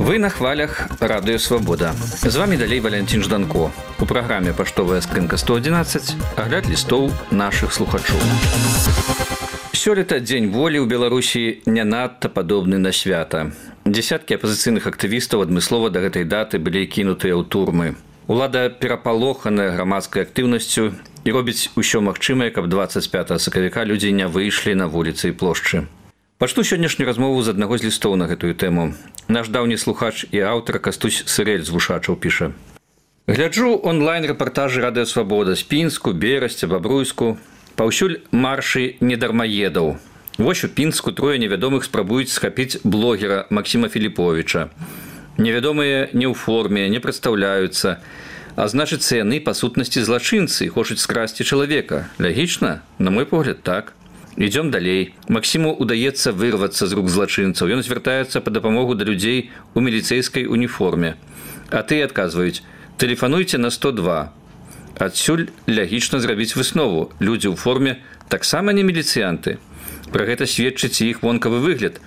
Вы на хвалях Радыё Свабода. З вами далей Валентин Жданко. У праграме «Паштовая скрынка 111» агляд лістоў нашых слухачоў. Сёлета Дзень волі ў Беларусі не надта падобны на свята. Дзесяткі апазіцыйных актывістаў адмыслова да гэтай даты былі кінутыя ў турмы. Улада перапалоханая грамадскай актыўнасцю і робіць усё магчымае, каб 25 сакавіка людзі не выйшлі на вуліцы і плошчы. Пачну сённяшнюю размову з аднаго з лістоў на гэтую тэму. Наш даўні слухач і аўтар Кастусь Сырэль з Вушачаў піша. Гляджу онлайн-рэпартажы Радыё Свабода з Пінску, Берасця, Бабруйску. Паўсюль маршы недармаедаў. Вось у Пінску трое невядомых спрабуюць схапіць блогера Максіма Філіповіча. Невядомыя не ў форме, не прадстаўляюцца, а значыцца яны па сутнасці злачынцы, хочуць скрасці чалавека. Лагічна? На мой погляд, так. Ідём далей. Максіму удаецца вырвацца з рук злачынцаў. Ён звяртаецца па дапамогу да людзей у міліцэйскай уніформе. А тыя адказваюць: тэлефануйце на 102. Адсюль лагічна зрабіць выснову. Людзі ў форме таксама не міліцыянты. Пра гэта сведчыць іх вонкавы выгляд.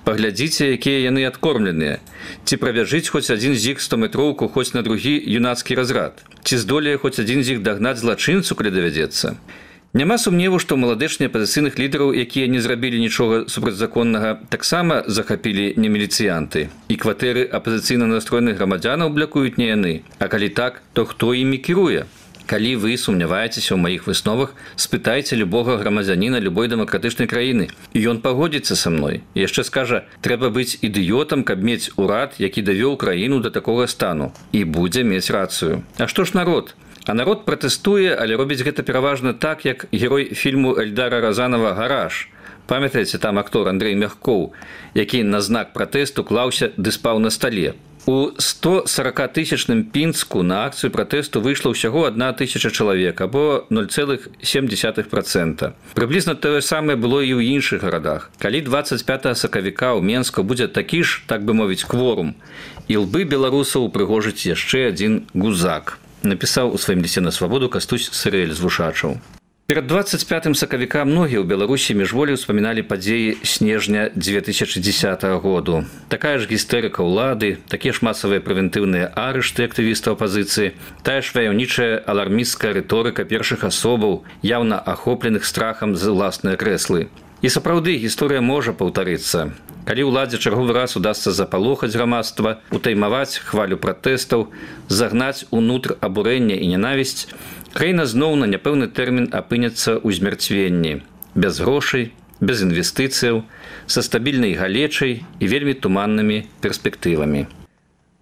Паглядзіце, якія яны адкормленыя. Ці прабяжыць хоць адзін з іх 100-метроўку хоць на другі юнацкі разрад. Ці здолее хоць адзін з іх дагнаць злачынцу, калі давядзецца. Няма сумневу, што маладэчныя апазіцыйных лідараў, якія не зрабілі нічога супрацьзаконнага, таксама захапілі не міліцыянты. І кватэры апазіцыйна настроеных грамадзянаў блякуюць не яны. А калі так, то хто імі кіруе? Калі вы сумняваецеся ў маіх высновах, спытайце любога грамадзяніна любой дэмакратычнай краіны. І ён пагодзіцца са мной. І яшчэ скажа, трэба быць ідыётам, каб мець урад, які давёў краіну да такога стану. І будзе мець рацыю. А што ж народ? А народ пратэстуе, але робіць гэта пераважна так, як герой фільму Эльдара Разанова «Гараж». Памятаеце, там актор Андрэй Мягкоў, які на знак пратэсту клаўся ды спаў на стале. У 140-тысячным Пінску на акцыю пратэсту выйшла ўсяго 1000 чалавек, або 0,7%. Прыблізна тое самае было і ў іншых гарадах. Калі 25 сакавіка ў Менску будзе такі ж, так бы мовіць, кворум, і лбы беларусаў упрыгожыць яшчэ адзін гузак, напісаў у сваім лісце на Свабоду Кастусь Сырэль з Вушачаў. Перад 25 сакавіка многія ў Беларусі міжволі ўспаміналі падзеі снежня 2010 году. Такая ж гістэрыка ўлады, такія ж масавыя прэвентыўныя арышты актывістаў апазіцыі, тая ж ваяўнічая алармісцкая рыторыка першых асобаў, яўна ахопленых страхам за ўласныя крэслы. І сапраўды гісторыя можа паўтарыцца. Калі ўладзе чарговы раз удасца запалохаць грамадства, утаймаваць хвалю пратэстаў, загнаць унутр абурэння і нянавісць, краіна зноў на няпэўны тэрмін апынецца ў змярцвенні. Без грошай, без інвестыцыяў, са стабільнай галечай і вельмі туманнымі перспектывамі.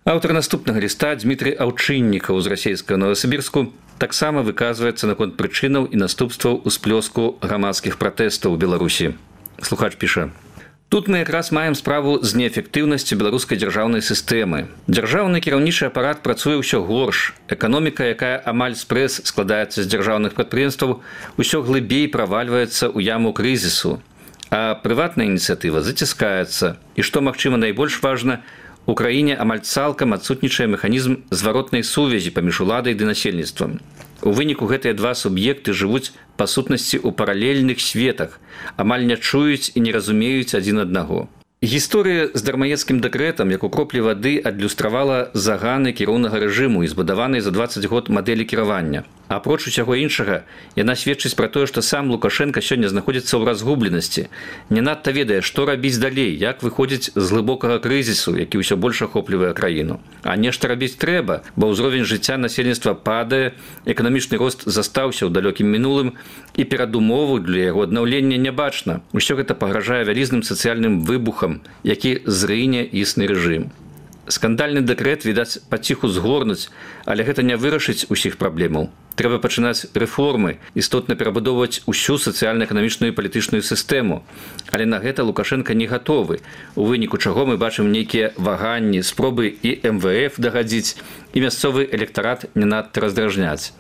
Аўтар наступнага ліста Дмітрый Аўчыннікаў з расійскага Новасібірску таксама выказваецца наконт прычынаў і наступстваў усплёску грамадскіх пратэстаў у Беларусі. Слухач піша: тут мы якраз маем справу з неэфектыўнасцю беларускай дзяржаўнай сістэмы. Дзяржаўны кіраўнічы апарат працуе ўсё горш. Эканоміка, якая амаль спрэс складаецца з дзяржаўных прадпрыемстваў, усё глыбей правальваецца ў яму крызісу. А прыватная ініцыятыва заціскаецца. І што, магчыма, найбольш важна, у краіне амаль цалкам адсутнічае механізм зваротнай сувязі паміж уладай ды насельніцтвам. У выніку гэтыя два суб'екты жывуць па сутнасці ў паралельных светах, амаль не чуюць і не разумеюць адзін аднаго. Гісторыя з дармаедскім дэкрэтам, як у кроплі вады, адлюстравала заганы кіроўнага рэжыму і збудаванай за 20 год мадэлі кіравання. Апроч усяго іншага, яна сведчыць пра тое, што сам Лукашенка сёння знаходзіцца ў разгубленасці, не надта ведае, што рабіць далей, як выходзіць з глыбокага крызісу, які ўсё больш ахоплівае краіну. А нешта рабіць трэба, бо ўзровень жыцця насельніцтва падае, эканамічны рост застаўся ў далёкім мінулым, і перадумову для яго аднаўлення не бачна. Усё гэта пагражае вялізным сацыяльным выбухам, які зрыне існы рэжым. Скандальны дэкрэт, відаць, паціху згорнуць, але гэта не вырашыць усіх праблемаў. Трэба пачынаць рэформы, істотна перабудоўваць усю сацыяльна-эканамічную і палітычную сістэму. Але на гэта Лукашенка не гатовы, у выніку чаго мы бачым нейкія ваганні, спробы і МВФ дагадзіць, і мясцовы электарат не надта раздражняць.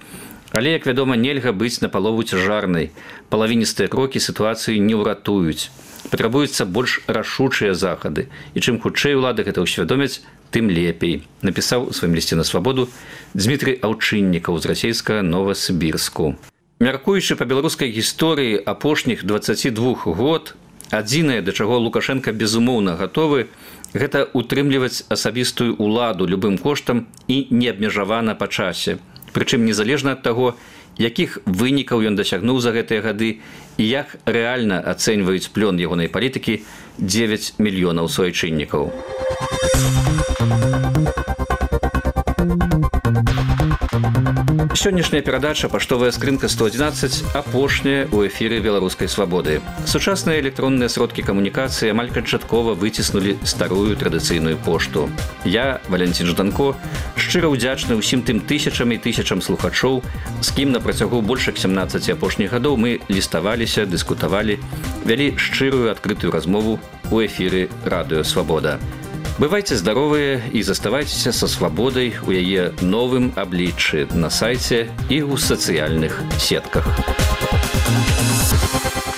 Але, як вядома, нельга быць напалову цяжарнай. Палавіністыя крокі сітуацыі не ўратуюць. Патрабуюцца больш рашучыя захады. І чым хутчэй улады гэта ўсвядомяць, тым лепей, напісаў у сваім лісце на Свабоду Дмітрый Аўчыннікаў з расійскага Новасібірску. Мяркуючы па беларускай гісторыі апошніх 22 год, адзінае, да чаго Лукашенко безумоўна гатовы, гэта утрымліваць асабістую ўладу любым коштам і неабмежавана па часе. Прычым незалежна ад таго, якіх вынікаў ён дасягнуў за гэтыя гады і як рэальна ацэньваюць плён ягонай палітыкі 9 мільёнаў суайчыннікаў. Сённяшняя перадача «Паштовая скрынка 111» апошняя ў эфіры «Беларускай свабоды». Сучасныя электронныя сродкі камунікацыі амаль канчаткова выціснулі старую традыцыйную пошту. Я, Валентин Жданко, шчыра ўдзячны ўсім тым тысячам і тысячам слухачоў, з кім на працягу больш 17 апошніх гадоў мы ліставаліся, дыскутавалі, вялі шчырую адкрытую размову ў эфіры «Радыё Свабода». Бывайце здаровыя і заставайцеся са свабодай у яе новым абліччы на сайце і ў сацыяльных сетках.